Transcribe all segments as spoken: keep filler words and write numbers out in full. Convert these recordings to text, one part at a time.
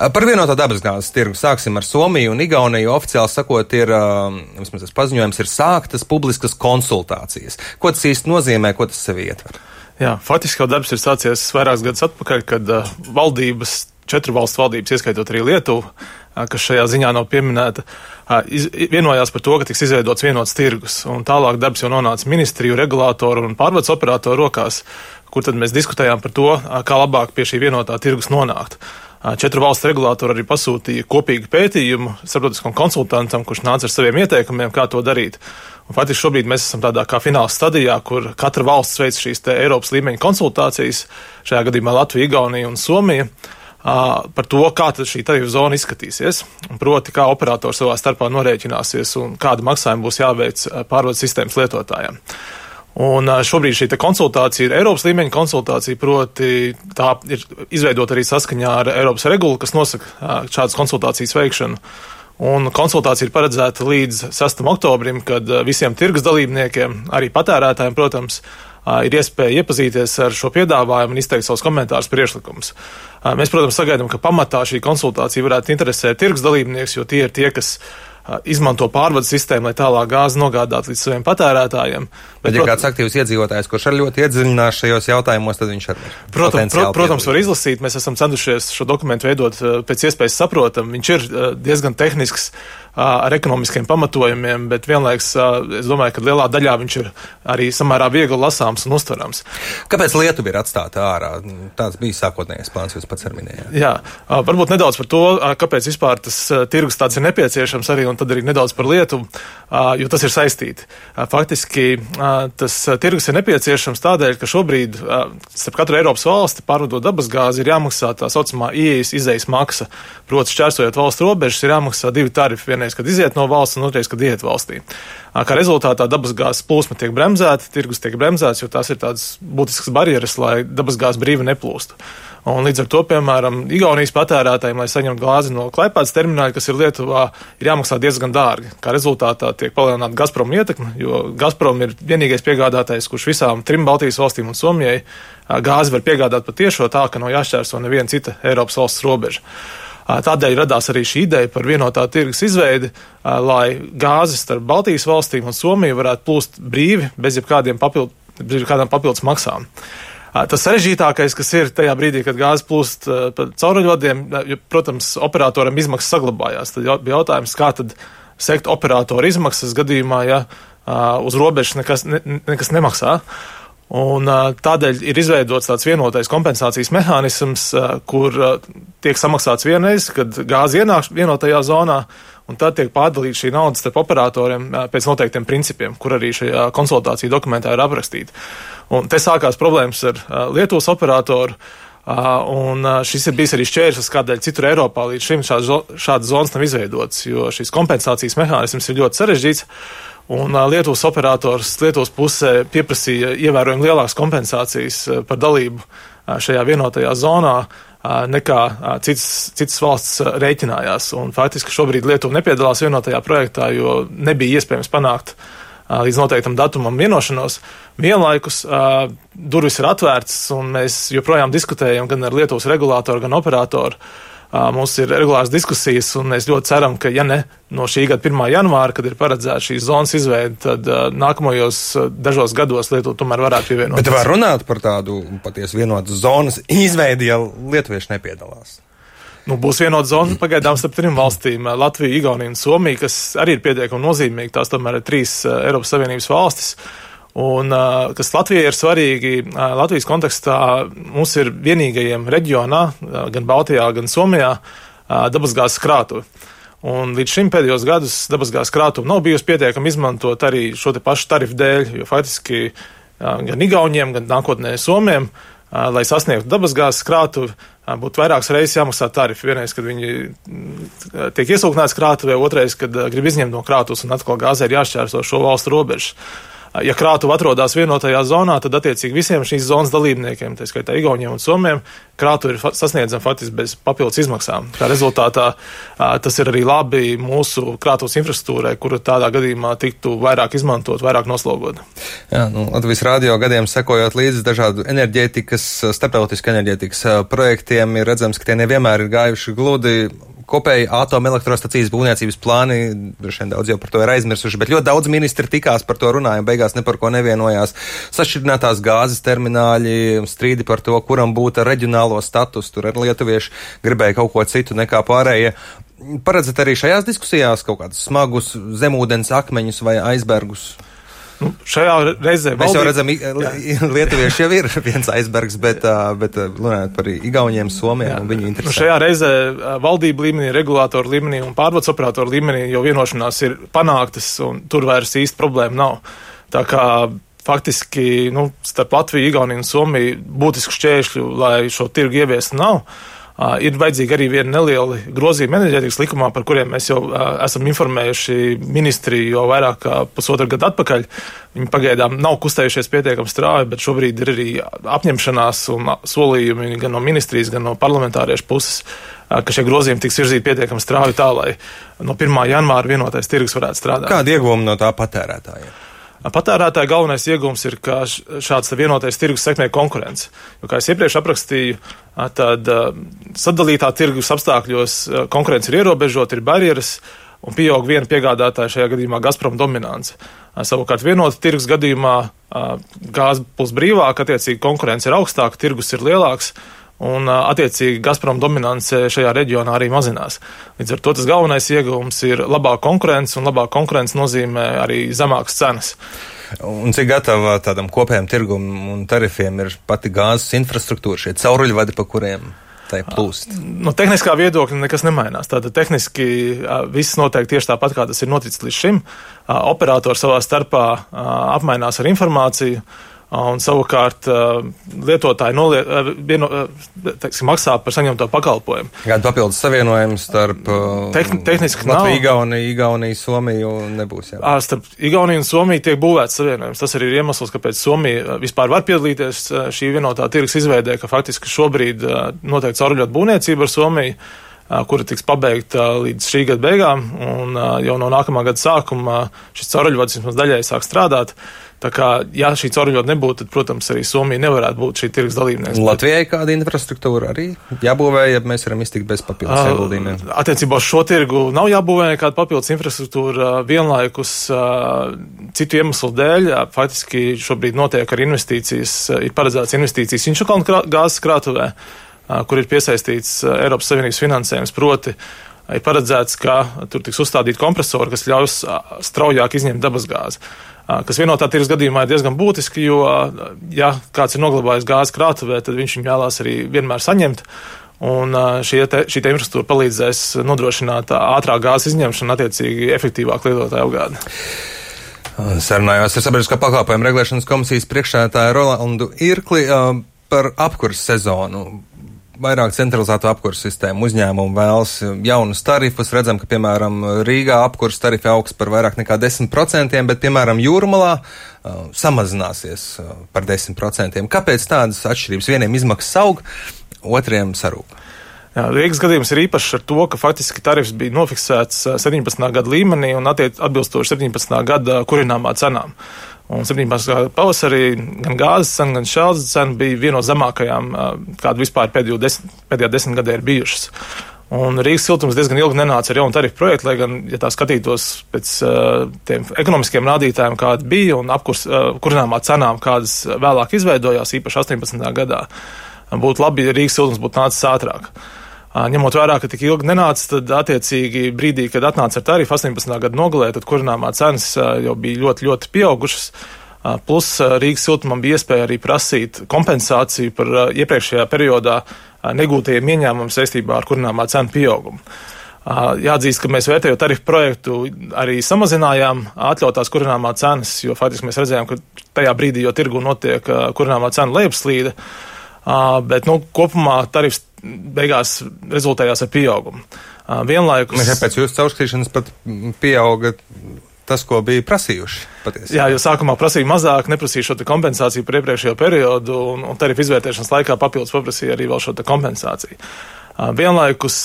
Par vienotā dabasgāzes tirgu sāksim ar Somiju un Igauniju. Oficiāli sakot, ir, vismaz tas paziņojums, ir sāktas publiskas konsultācijas. Ko tas īsti nozīmē, ko tas sevi ietver? Jā, faktiski jau darbs ir sācies vairākus gadus atpakaļ, kad uh, valdības, četru valstu valdības, ieskaitot arī Lietuvu, uh, kas šajā ziņā nav pieminēta, uh, iz, vienojās par to, ka tiks izveidots vienots tirgus. Un tālāk darbs jau nonāca ministriju, regulātoru un pārvades operatoru rokās, kur tad mēs diskutējām par to, uh, kā labāk pie šī vienotā tirgus nonākt. Uh, četru valstu regulātori arī pasūtīja kopīgu pētījumu starptautiskam konsultantam, kurš nāca ar saviem ieteikumiem, kā to darīt. Un faktiski šobrīd mēs esam tādā kā fināla stadijā, kur katra valsts veic šīs te Eiropas līmeņa konsultācijas, šajā gadījumā Latvija, Igaunija un Somija, par to, kā tad šī tarifu zona izskatīsies, un proti, kā operatori savā starpā norēķināsies un kāda maksājuma būs jāveic pārvades sistēmas lietotājiem. Un šobrīd šī te konsultācija ir Eiropas līmeņa konsultācija, proti tā ir izveidota arī saskaņā ar Eiropas regulu, kas nosaka šādas konsultācijas veikšanu. Un konsultācija ir paredzēta līdz sestam oktobrim, kad visiem tirgus dalībniekiem, arī patērētājiem, protams, ir iespēja iepazīties ar šo piedāvājumu un izteikt savus komentārus, priekšlikumus. Mēs, protams, sagaidām, ka pamatā šī konsultācija varētu interesēt tirgus dalībnieks, jo tie ir tie, kas izmanto pārvades sistēmu, lai tālāk gāzi nogādātu līdz saviem patērētājiem. Bet, ja kāds aktīvs iedzīvotājs, kurš ar ļoti iedziļinās šajos jautājumos, tad viņš arī protams, pro, protams var izlasīt. Mēs esam centušies šo dokumentu veidot pēc iespējas saprotam. Viņš ir diezgan tehnisks, ar ekonomiskiem pamatojumiem, bet vienlaiks es domāju, ka lielā daļā viņš ir arī samērā viegli lasāms un uztverams. Kāpēc Lietuva ir atstāta ārā? Tāds bija sākotnējais plāns, jūs pats arī minējāt. Jā, varbūt nedaudz par to, kāpēc vispār tas tirgus tāds ir nepieciešams arī, un tad arī nedaudz par Lietuvu, jo tas ir saistīti. Faktiski tas tirgus ir nepieciešams tādēļ, ka šobrīd starp katru Eiropas valsti pārvadot dabasgāzi ir jāmaksā tā saucamā ieejas izejas maksa. Proti, šķērsojot valsts robežas, ir jāmaksā divi tarifi, vienreiz, kad iziet no valsts, un otrais, kad iet valstī. Kā rezultātā dabasgāzes plūsma tiek bremzēta, tirgus tiek bremzēts, jo tās ir tādas būtiskas barjeras, lai dabasgāze brīvi neplūstu. Un līdz ar to, piemēram, Igaunijas patērētājiem, lai saņemtu gāzi no Klaipēdas termināļa, kas ir Lietuvā, ir jāmaksā diezgan dārgi. Kā rezultātā tiek palielināta Gazprom ietekme, jo Gazprom ir vienīgais piegādātājs, kurš visām trim Baltijas valstīm un Somijai gāzi var piegādāt patiešo tā, ka nav jāšķērso neviena cita Eiropas valsts robeža. Tādēļ radās arī šī ideja par vienotā tirgus izveidi, lai gāzes starp Baltijas valstīm un Somiju varētu plūst brīvi, bez jebkādiem papildu, bez jebkādām papildus maksām. Tas sarežģītākais, kas ir tajā brīdī, kad gāze plūst pa cauruļvadiem, protams, operatoram izmaksas saglabājās. Tad bija jautājums, kā tad sekt operatoru izmaksas gadījumā, ja uz robežas nekas, ne, nekas nemaksā. Un tādēļ ir izveidots tāds vienotais kompensācijas mehānisms, kur tiek samaksāts vienreiz, kad gāze ienāk vienotajā zonā, un tad tiek pārdalīta šī nauda starp operatoriem pēc noteiktiem principiem, kur arī šajā konsultāciju dokumentā ir aprakstīti. Un te sākās problēmas ar Lietuvas operatoru, un šis ir bijis arī šķērslis, kādēļ citur Eiropā līdz šim šādas zonas nav izveidotas, jo šis kompensācijas mehānisms ir ļoti sarežģīts. Un Lietuvas operators Lietuvas pusē pieprasīja ievērojami lielākas kompensācijas par dalību šajā vienotajā zonā nekā citas, citas valsts rēķinājās. Un faktiski šobrīd Lietuva nepiedalās vienotajā projektā, jo nebija iespējams panākt līdz noteiktam datumam vienošanos. Vienlaikus durvis ir atvērts, un mēs joprojām diskutējam gan ar Lietuvas regulātoru, gan operatoru. Mums ir regulāras diskusijas, un mēs ļoti ceram, ka, ja ne no šī gada pirmā janvāra, kad ir paredzēta šīs zonas izveide, tad uh, nākamajos uh, dažos gados Lietuva tomēr varētu pievienoties. Bet var runāt par tādu patiesi vienotas zonas izveidi, ja lietuvieši nepiedalās? Nu, būs vienota zona pagaidām starp trim valstīm - Latviju, Igauniju un Somiju, kas arī ir pietiekami nozīmīgi. Tās tomēr ir trīs uh, Eiropas Savienības valstis. Un, kas Latvijai ir svarīgi, Latvijas kontekstā mums ir vienīgajiem reģionā, gan Baltijā, gan Somijā, dabasgāzes krātuve. Un līdz šim pēdējos gadus dabasgāzes krātuve nav bijusi pietiekami izmantot arī šo te pašu tarifu dēļ, jo faktiski gan Igauniem, gan nākotnē Somiem, lai sasniegtu dabasgāzes krātuvi, būtu vairākas reizes jāmaksā tarifi. Vienreiz, kad viņi tiek iesūknēts krātuvē, otrais, kad grib izņemt no krātuves un atkal gāzē ir jāšķērso šo valstu robežu. ja krātuve atrodas vienotajā zonā, tad attiecīgi visiem šīs zonas dalībniekiem, tā skaitā Igauniem un Somiem, krātuve ir sasniedzama faktiski bez papildus izmaksām. Kā rezultātā tas ir arī labi mūsu krātuves infrastruktūrai, kura tādā gadījumā tiktu vairāk izmantot, vairāk noslogot. Jā, nu, Latvijas radio gadiem sekojot līdzi dažādu enerģētikas, starptautisku enerģētikas projektiem, ir redzams, ka tie nevienmēr ir gājuši gludi. Kopēji atomelektrostacijas būvniecības plāni, droši vien daudz jau par to ir aizmirsuši, bet ļoti daudz ministri tikās par to runāja, beigās ne par ko nevienojās. Sašķirinātās gāzes termināļi, strīdi par to, kuram būtu reģionālo status, tur ar lietuvieši gribēja kaut ko citu nekā pārējie. Paredzat arī šajās diskusijās kaut kādus smagus zemūdens akmeņus vai aizbergus? Nu, šajā reizē mēs jau redzam, lietuvieši jau ir viens aizbergs, bet, bet runājot par Igauniem, Somiem un viņu interesēm. Nu, šajā reizē valdība līmenī, regulātoru līmenī un pārvades operatoru līmenī jau vienošanās ir panāktas un tur vairs īsti problēma nav. Tā kā faktiski nu, starp Latviju, Igauniju un Somiju būtisku šķēršļu, lai šo tirgu ieviestu nav. Uh, ir vajadzīgi arī viena neliela grozījuma enerģētikas likumā, par kuriem mēs jau uh, esam informējuši ministriju jau vairāk kā pusotru gadu atpakaļ. Viņi pagaidām nav kustējušies pietiekami strauji, bet šobrīd ir arī apņemšanās un solījumi gan no ministrijas, gan no parlamentāriešu puses, uh, ka šie grozījumi tiks virzīti pietiekami strauji tā, lai no pirmā janvāra vienotais tirgus varētu strādāt. Kāda ieguvuma no tā patērētājiem? Patērētāja galvenais iegūms ir, ka šāds vienotais tirgus sekmē konkurence. Jo, kā es iepriekš aprakstīju, tad sadalītā tirgus apstākļos konkurence ir ierobežota, ir barjeras un pieaug viena piegādātāja, šajā gadījumā Gazprom dominance. Savukārt vienota tirgus gadījumā gāze plus brīvāk, attiecīgi konkurence ir augstāka, tirgus ir lielāks. Un, attiecīgi, Gazprom dominance šajā reģionā arī mazinās. Līdz ar to tas galvenais ieguvums ir labāka konkurence, un labāka konkurence nozīmē arī zemākas cenas. Un cik gatava tādam kopējam tirgum un tarifiem ir pati gāzes infrastruktūra, šie cauruļvadi, pa kuriem tai plūst? No tehniskā viedokļa nekas nemainās. Tātad tehniski viss notiek tieši tāpat, kā tas ir noticis līdz šim. Operatori savā starpā apmainās ar informāciju. Un savukārt lietotāji noliet, vieno, teiksim, maksā par saņemto pakalpojumu. Kāda papildus savienojuma starp Tehn, tehniski Latviju, Igauniju, Igauniju, Somiju nebūs? Jā. Starp Igauniju un Somiju tiek būvēts savienojums. Tas arī ir iemesls, kāpēc Somija vispār var piedalīties šī vienotā tirgus izveidē, ka faktiski šobrīd notiek cauruļot būvniecība ar Somiju, kura tiks pabeigta līdz šī gada beigām, un jau no nākamā gada sākuma šis cauruļvads vismaz daļēji sāk strādāt. Tā kā, ja šī cauruļvada nebūtu, tad, protams, arī Somija nevarētu būt šī tirgus dalībnieks. Latvijai kāda infrastruktūra arī jābūvē, ja mēs varam iztikt bez papildus ieguldījumiem? Uh, attiecībā uz šo tirgu nav jābūvē nekāda papildus infrastruktūra. Vienlaikus uh, citu iemeslu dēļ faktiski šobrīd notiek ar investīcijas, ir paredzēts investīcijas Inčukalnu krā, gāzes krātuvē, uh, kur ir piesaistīts uh, Eiropas Savienības finansējums, proti ir paredzēts, ka tur tiks uzstādīti kompresori, kas ļaus uh, straujāk izņemt dabasgāzi. Kas vienotā tirgus gadījumā ir diezgan būtiski, jo, ja kāds ir noglabājis gāzes krātuvē, tad viņš viņu vēlās arī vienmēr saņemt, un šī te, šī te infrastruktūra palīdzēs nodrošināt ātrāk gāzes izņemšanu, attiecīgi efektīvāk lietotāju apgādi. Sarunājos ar Sabiedriskā pakalpojuma regulēšanas komisijas priekšsēdētāju Rolandu Irkli par apkures sezonu. Vairāk centralizēto apkurs sistēmu uzņēmumu vēlas jaunus tarifus. Redzam, ka, piemēram, Rīgā apkurs tarifi augs par vairāk nekā desmit procentiem, bet, piemēram, Jūrmalā uh, samazināsies uh, par desmit procentiem. Kāpēc tādas atšķirības? Vieniem izmaksas aug, otriem sarūk. Jā, Rīgas gadījums ir īpašs ar to, ka faktiski tarifs bija nofiksēts sedemnācā gada līmenī un attiec atbilstoši sedemnācā gada kurināmā cenām. Un septiņpadsmitā gada pavasarī gan gāzes cena, gan šķeldes cena bija viena no zemākajām, kāda vispār pēdējo desmit, pēdējā desmit gadē ir bijušas. Un Rīgas siltums diezgan ilgi nenāca ar jaunu tarifu projektu, lai gan, ja tā skatītos pēc uh, tiem ekonomiskiem rādītājiem, kādi bija, un apkurs uh, kurināmā cenām, kādas vēlāk izveidojās, īpaši astoņpadsmitajā gadā, būtu labi, ja Rīgas siltums būtu nācis ātrāk. Ņemot vērā, ka tik ilgi nenāca, tad attiecīgi brīdī, kad atnāca ar tarifu astoņpadsmitā gada nogalē, tad kurināmā cenas jau bija ļoti, ļoti pieaugušas. Plus Rīgas siltumam bija iespēja arī prasīt kompensāciju par iepriekšējā periodā negūtajiem ieņēmumiem saistībā ar kurināmā cenu pieaugumu. Jāatzīst, ka mēs vērtējot tarifu projektu arī samazinājām atļautās kurināmā cenas, jo faktiski mēs redzējām, ka tajā brīdī, jo tirgu notiek kurināmā cena lejupslīde, bet nu, kopumā tarifs beigās rezultējās ar pieaugumu. Vienlaikus... Mēs pēc jūsu caurskatīšanas pat pieauga tas, ko bija prasījuši patiesībā. Jā, jo sākumā prasīja mazāk, neprasīja šo te kompensāciju par iepriekšējo periodu, un, un tarifu izvērtēšanas laikā papildus paprasīja arī vēl šo te kompensāciju. Vienlaikus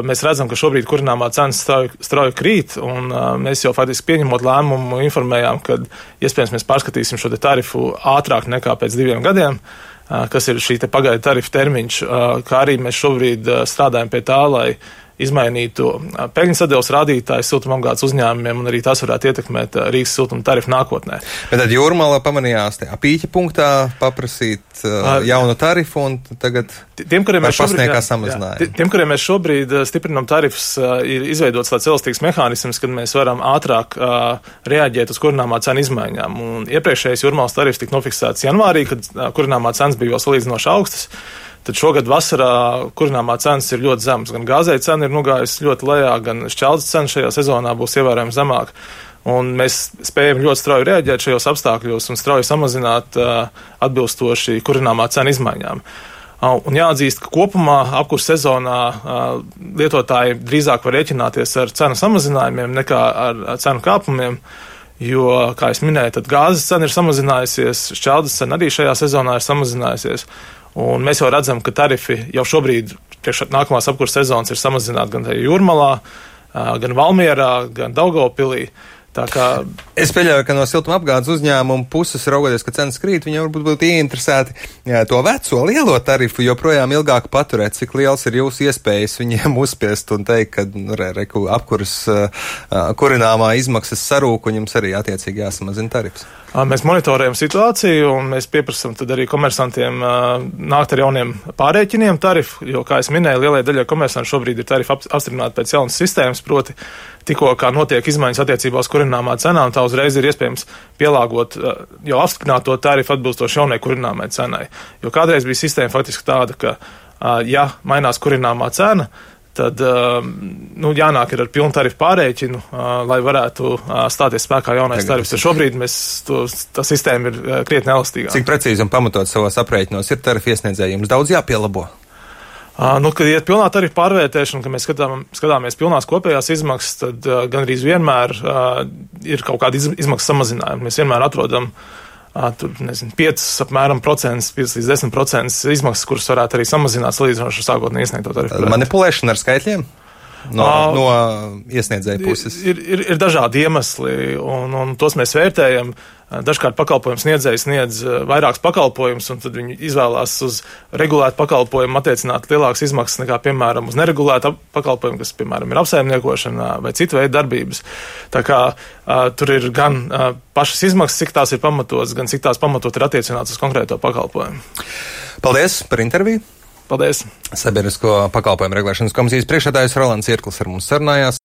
mēs redzam, ka šobrīd kurināmā cenas strauji krīt, un mēs jau faktiski pieņemot lēmumu informējām, ka iespējams mēs pārskatīsim šo te tarifu ātrāk nekā pēc diviem gadiem, kas ir šī te pagaidu tarifu termiņš, kā arī mēs šobrīd strādājam pie tā, lai izmainītu peļņas sadales rādītāju siltumapgādes uzņēmumiem, un arī tas varētu ietekmēt Rīgas siltuma tarifu nākotnē. Bet tad Jūrmalā pamanījās tajā pīķa punktā paprasīt uh, jaunu tarifu, un tagad tiem, kuriem mēs šobrīd, samazinājām. Tiem, kuriem mēs šobrīd stiprinam tarifus, ir izveidots tāds elastīgs mehānisms, kad mēs varam ātrāk uh, reaģēt uz kurināmā cenu izmaiņām. Un iepriekšējais Jūrmalas tarifs tika nofiksēts janvārī, kad uh, kurināmā cenas bija vēl salīdzinoši augstas. Tad šogad vasarā kurināmā cenas ir ļoti zemas. Gan gāzei cena ir nogājusi ļoti lejā, gan šķeldes cena šajā sezonā būs ievērojami zemāka. Un mēs spējam ļoti strauji reaģēt šajos apstākļos un strauji samazināt uh, atbilstoši kurināmā cena izmaiņām. Uh, un jāatzīst, ka kopumā apkurss sezonā uh, lietotāji drīzāk var rēķināties ar cenu samazinājumiem nekā ar, ar cenu kāpumiem. Jo, kā es minēju, tad gāzes cena ir samazinājusies, šķeldes cena arī šajā sezonā ir samazinājusies. Un mēs jau redzam, ka tarifi jau šobrīd priekš nākamās apkurss sezonas ir samazināti gan Jūrmalā, gan Valmierā, gan Daugavpilī. Tā kā es pieļauju, ka no siltumapgādes uzņēmuma puses raugoties, ka cenas krīt, viņi varbūt būtu ieinteresēti jā, to veco lielo tarifu joprojām ilgāk paturēt. Cik liels ir jūsu iespējas viņiem uzspiest un teikt, ka nu, re, re, apkuras uh, kurināmā izmaksas sarūk un jums arī attiecīgi jāsamazina tarifs? Mēs monitorējam situāciju un mēs pieprasam tad arī komersantiem uh, nākt ar jauniem pārēķiniem tarifu, jo, kā es minēju, lielai daļai komersantu šobrīd ir tarifi ap, apstiprināti pēc jaunas sistēmas, proti tikko kā notiek izmaiņas attiecībā uz kurināmā cenām, tā uzreiz ir iespējams pielāgot uh, jau apstiprināto tarifu atbilstoši jaunai kurināmai cenai. Jo kādreiz bija sistēma faktiski tāda, ka, uh, ja mainās kurināmā cena, tad uh, nu, jānāk ir ar pilnu tarifu pārēķinu, uh, lai varētu uh, stāties spēkā jaunais tarifs. Šobrīd mēs, to, tā sistēma ir uh, krietni elastīgāka. Cik precīzi un pamatot savos aprēķinos ir tarifu iesniedzēji? Jums daudz jāpielabo? Uh, nu, kad iet pilnā tarifu pārvērtēšana, kad mēs skatām, skatāmies pilnās kopējās izmaksas, tad uh, gandrīz vienmēr uh, ir kaut kāda iz, izmaksu samazinājuma. Mēs vienmēr atrodam uh, tur, nezinu, piecas apmēram procents, piecas līdz desmit procents izmaksas, kuras varētu arī samazināt salīdzinoši ar sākotnēji iesniegto tarifu. Manipulēšana ar skaitļiem? No, uh, no iesniedzēja puses. Ir, ir, ir dažādi iemesli, un, un tos mēs vērtējam. Dažkārt pakalpojums sniedzējs sniedz vairākus pakalpojumus, un tad viņi izvēlās uz regulētu pakalpojumu attiecināt lielākas izmaksas nekā, piemēram, uz neregulētu pakalpojumu, kas, piemēram, ir apsaimniekošana vai citu veidu darbības. Tā kā uh, tur ir gan uh, pašas izmaksas, cik tās ir pamatotas, gan cik tās pamatot ir attiecināts uz konkrēto pakalpojumu. Paldies par interviju! Paldies! Sabiedrisko pakalpojumu regulēšanas komisijas priekšsēdētājs Rolands Irklis ar mums sarunājās.